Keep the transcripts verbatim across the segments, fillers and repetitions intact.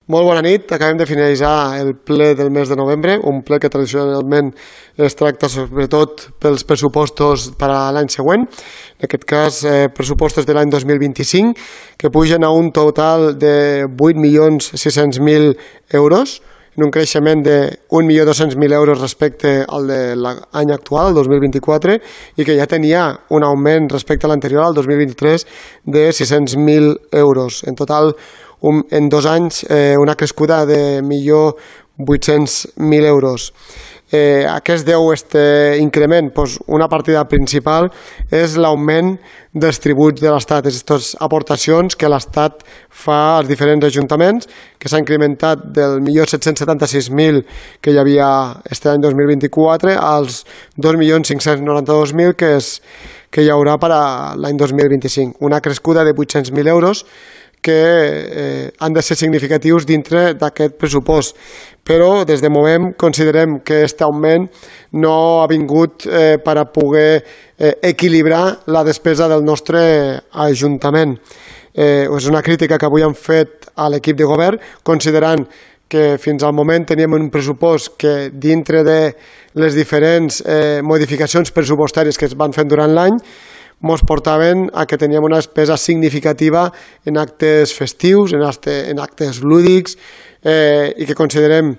Molt bona nit, acabem de finalitzar el ple del mes de novembre, un ple que tradicionalment es tracta sobretot pels pressupostos per a l'any següent, en aquest cas eh, pressupostos de l'any dos mil vint-i-cinc, que pugen a un total de vuit milions sis-cents mil euros, en un creixement de un milió dos-cents mil euros respecte al de l'any actual, el dos mil vint-i-quatre, i que ja tenia un augment respecte a l'anterior, el dos mil vint-i-tres, de sis-cents mil euros. En total, un, en dos anys, eh, una crescuda de un milió vuit-cents mil euros. Eh, a què es deu aquest increment? Pues una partida principal és l'augment dels tributs de l'Estat, aquestes aportacions que l'Estat fa als diferents ajuntaments, que s'ha incrementat del milió set-cents setanta-sis mil que hi havia aquest any dos mil vint-i-quatre als dos milions cinc-cents noranta-dos mil que, és, que hi haurà per a l'any dos mil vint-i-cinc. Una crescuda de vuit-cents mil euros que eh, han de ser significatius dintre d'aquest pressupost. Però des de Movem considerem que aquest augment no ha vingut eh, per a poder eh, equilibrar la despesa del nostre Ajuntament. Eh, és una crítica que avui han fet a l'equip de govern, considerant que fins al moment teníem un pressupost que dintre de les diferents eh, modificacions pressupostàries que es van fent durant l'any ens portaven a que teníem una despesa significativa en actes festius, en, acte, en actes lúdics, eh, i que considerem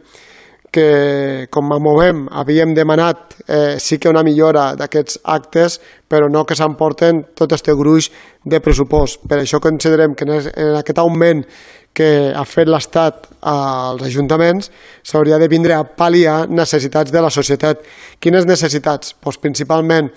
que, com a Movem, havíem demanat eh, sí que una millora d'aquests actes, però no que s'emporten tot aquest gruix de pressupost. Per això considerem que en aquest augment que ha fet l'Estat als ajuntaments s'hauria de vindre a pal·liar necessitats de la societat. Quines necessitats? Pues principalment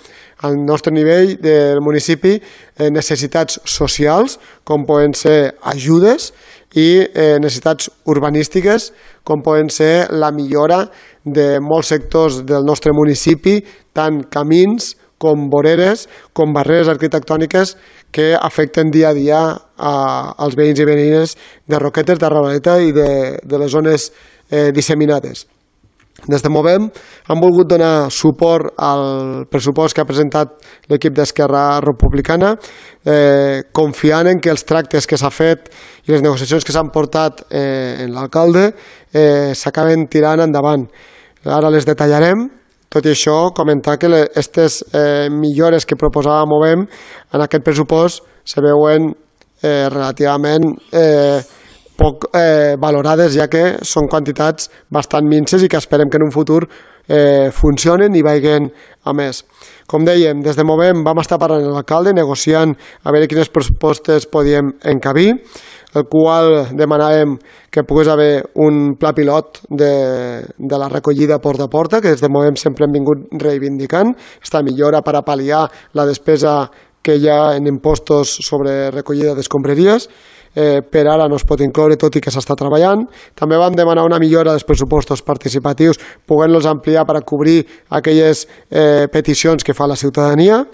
al nostre nivell del municipi, eh, necessitats socials, com poden ser ajudes, i eh, necessitats urbanístiques, com poden ser la millora de molts sectors del nostre municipi, tant camins com voreres, com barreres arquitectòniques que afecten dia a dia a, als veïns i veïnes de Roquetes, de Ravaleta i de, de les zones eh, disseminades. Des de Movem han volgut donar suport al pressupost que ha presentat l'equip d'Esquerra Republicana, eh, confiant en que els tractes que s'ha fet i les negociacions que s'han portat eh, en l'alcalde eh, s'acaben tirant endavant. Ara les detallarem. Tot i això, comentar que aquestes eh, millores que proposava Movem en aquest pressupost se veuen eh, relativament eh, poc eh, valorades, ja que són quantitats bastant minces i que esperem que en un futur eh, funcionen i vagin a més. Com dèiem, des de Movem vam estar parlant amb l'alcalde, negociant a veure quines propostes podíem encabir, el qual demanàvem que pogués haver un pla pilot de, de la recollida porta a porta, que des de Movem sempre hem vingut reivindicant, esta millora per a pal·liar la despesa que hi ha en impostos sobre recollida d'escombraries. Eh, per ara no es pot incloure, tot i que s'està treballant. També vam demanar una millora dels pressupostos participatius, poguent-los ampliar per a cobrir aquelles eh, peticions que fa la ciutadania.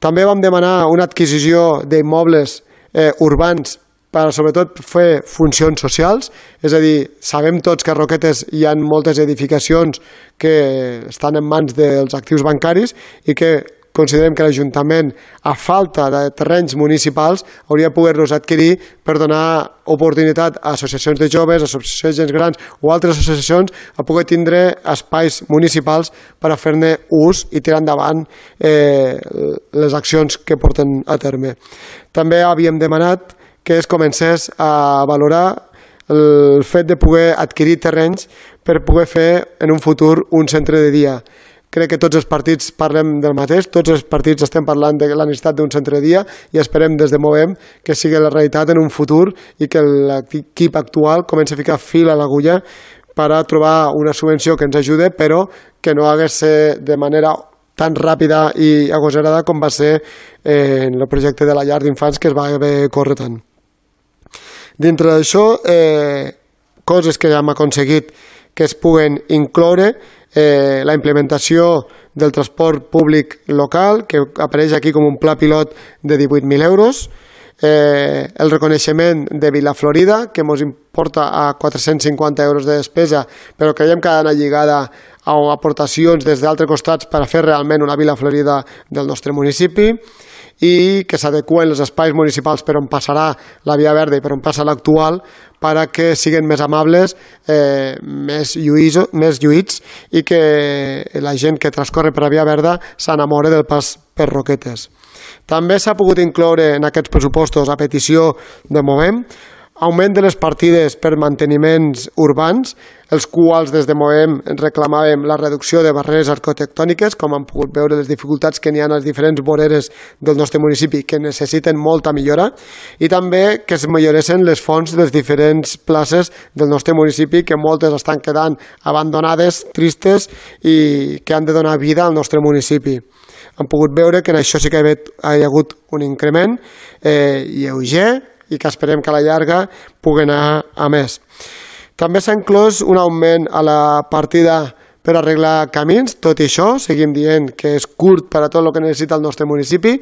També vam demanar una adquisició d'immobles eh, urbans per sobretot fer funcions socials, és a dir, sabem tots que a Roquetes hi ha moltes edificacions que estan en mans dels actius bancaris i que considerem que l'Ajuntament, a falta de terrenys municipals, hauria de poder-los adquirir per donar oportunitat a associacions de joves, associacions de gent grans o altres associacions a poder tindre espais municipals per a fer-ne ús i tirar endavant eh, les accions que porten a terme. També havíem demanat que es comencés a valorar el fet de poder adquirir terrenys per poder fer en un futur un centre de dia. Crec que tots els partits parlem del mateix, tots els partits estem parlant de la necessitat d'un centre de dia i esperem des de Movem que sigui la realitat en un futur i que l'equip actual comenci a ficar fil a l'agulla per a trobar una subvenció que ens ajude, però que no hagués de ser de manera tan ràpida i agosarada com va ser en el projecte de la llar d'infants que es va haver córrer tant. Dintre d'això, eh, coses que hem aconseguit que es puguen incloure, eh, la implementació del transport públic local, que apareix aquí com un pla pilot de divuit mil euros, eh, el reconeixement de Vilaflorida, que ens importa a quatre-cents cinquanta euros de despesa, però creiem que ha d'anar lligada a aportacions des d'altres costats per a fer realment una Vilaflorida del nostre municipi, i que s'adeqüen els espais municipals per on passarà la via verda i per on passa l'actual para que siguin més amables, eh, més, lluïso, més lluïts i que la gent que transcorre per la via verda s'enamora del pas per Roquetes. També s'ha pogut incloure en aquests pressupostos, a petició de Movem, augment de les partides per manteniments urbans, els quals des de Movem reclamàvem la reducció de barreres arquitectòniques, com han pogut veure les dificultats que n'hi ha a les diferents voreres del nostre municipi que necessiten molta millora, i també que es milloressin les fonts de les diferents places del nostre municipi, que moltes estan quedant abandonades, tristes i que han de donar vida al nostre municipi. Hem pogut veure que en això sí que hi ha hagut un increment eh, lleuger, i que esperem que a la llarga pugui anar a més. També s'ha inclòs un augment a la partida per arreglar camins, tot i això seguim dient que és curt per a tot el que necessita el nostre municipi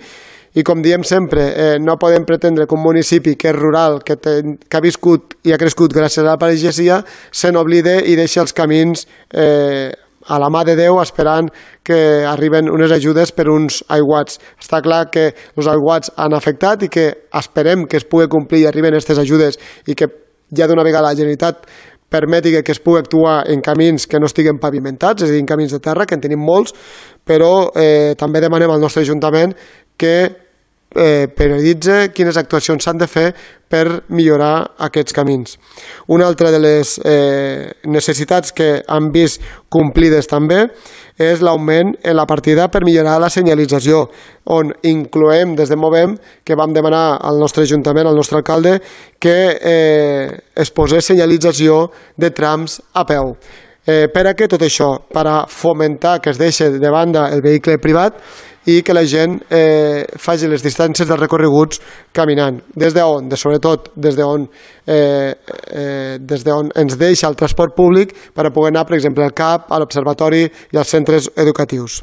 i com diem sempre, eh, no podem pretendre que un municipi que és rural, que, te, que ha viscut i ha crescut gràcies a la pagesia, se n'oblide i deixa els camins eh, a la mà de Déu esperant que arriben unes ajudes per uns aiguats. Està clar que els aiguats han afectat i que esperem que es pugui complir i arriben aquestes ajudes i que ja d'una vegada la Generalitat permeti que es pugui actuar en camins que no estiguen pavimentats, és a dir, en camins de terra, que en tenim molts, però eh, també demanem al nostre Ajuntament que eh, prioritze quines actuacions s'han de fer per millorar aquests camins. Una altra de les eh, necessitats que han vist complides també és l'augment en la partida per millorar la senyalització, on incloem des de Movem que vam demanar al nostre Ajuntament, al nostre alcalde, que eh, es posés senyalització de trams a peu. Eh, per a què tot això? Per a fomentar que es deixi de banda el vehicle privat i que la gent eh, faci les distàncies dels recorreguts caminant. Des d'on? De, sobretot des d'on eh, eh, des d'on ens deixa el transport públic per a poder anar, per exemple, al C A P, a l'Observatori i als centres educatius.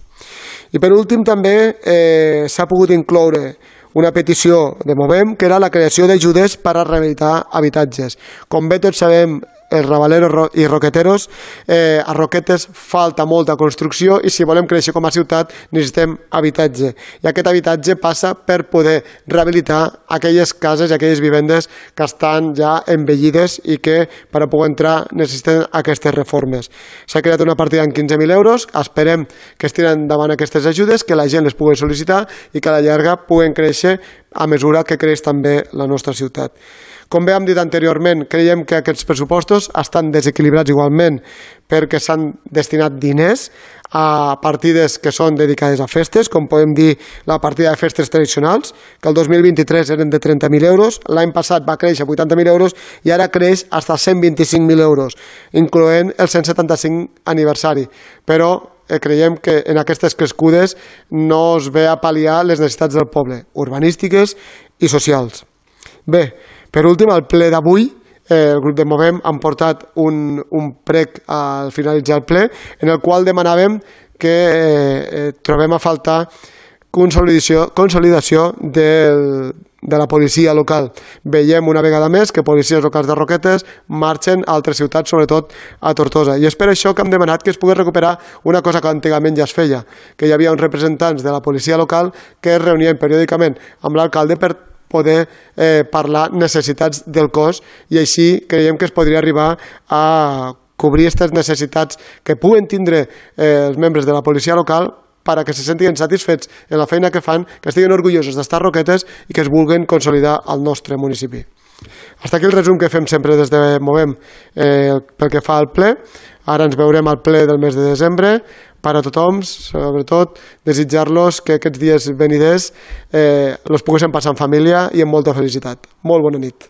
I per últim també eh, s'ha pogut incloure una petició de Movem, que era la creació d'ajudes per a rehabilitar habitatges. Com bé tots sabem, els rabaleros i roqueteros, eh, a Roquetes falta molta construcció i si volem créixer com a ciutat necessitem habitatge. I aquest habitatge passa per poder rehabilitar aquelles cases i aquelles vivendes que estan ja envellides i que per a poder entrar necessiten aquestes reformes. S'ha creat una partida en quinze mil euros, esperem que es tiren endavant aquestes ajudes, que la gent les pugui sol·licitar i que a la llarga puguen créixer a mesura que creix també la nostra ciutat. Com bé hem dit anteriorment, creiem que aquests pressupostos estan desequilibrats igualment perquè s'han destinat diners a partides que són dedicades a festes, com podem dir la partida de festes tradicionals, que el dos mil vint-i-tres eren de trenta mil euros, l'any passat va créixer a vuitanta mil euros i ara creix fins a cent vint-i-cinc mil euros, incloent el cent setanta-cinc aniversari. Però eh, creiem que en aquestes crescudes no es ve a pal·liar les necessitats del poble, urbanístiques i socials. Bé, per últim, al ple d'avui, eh, el grup de Movem han portat un, un prec al finalitzar el ple, en el qual demanàvem que eh, trobem a faltar consolidació, consolidació del, de la policia local. Veiem una vegada més que policies locals de Roquetes marxen a altres ciutats, sobretot a Tortosa. I és per això que hem demanat que es pugui recuperar una cosa que antigament ja es feia, que hi havia uns representants de la policia local que es reunien periòdicament amb l'alcalde per poder eh, parlar necessitats del cos i així creiem que es podria arribar a cobrir aquestes necessitats que puguen tindre eh, els membres de la policia local per a que se sentin satisfets en la feina que fan, que estiguin orgullosos d'estar a Roquetes i que es vulguin consolidar al nostre municipi. Hasta aquí el resum que fem sempre des de Movem eh, pel que fa al ple. Ara ens veurem al ple del mes de desembre. Per a tothom, sobretot, desitjar-los que aquests dies veniders eh, els poguéssim passar en família i amb molta felicitat. Molt bona nit.